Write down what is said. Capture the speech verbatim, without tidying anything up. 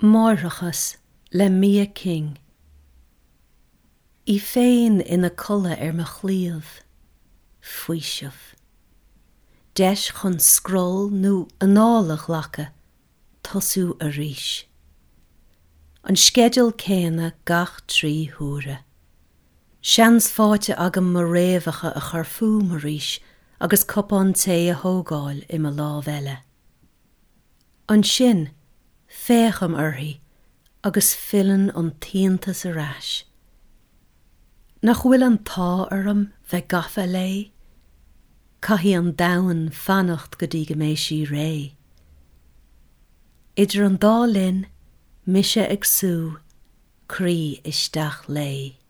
Máithreachas le Mia King. Í féin ina codladh ar mo chliabh. Faoiseamh. Deis chun scroll nó anáil a ghlacadh, tosú arís. An sceideal céanna gach trí huaire. Seans faighte agam mo fhréamhacha a chur fúm arís agus cupán tae a thógáil i mo lámh eile. Ansin, féachaim uirthi agus filleann an t-iontas ar ais. Nach bhfuil an t-ádh orm bheith gafa léi? Caithfidh an domhan fanacht go dtí go mbeidh sí réidh. Idir an dá linn, mise ag sú, croí isteach léi.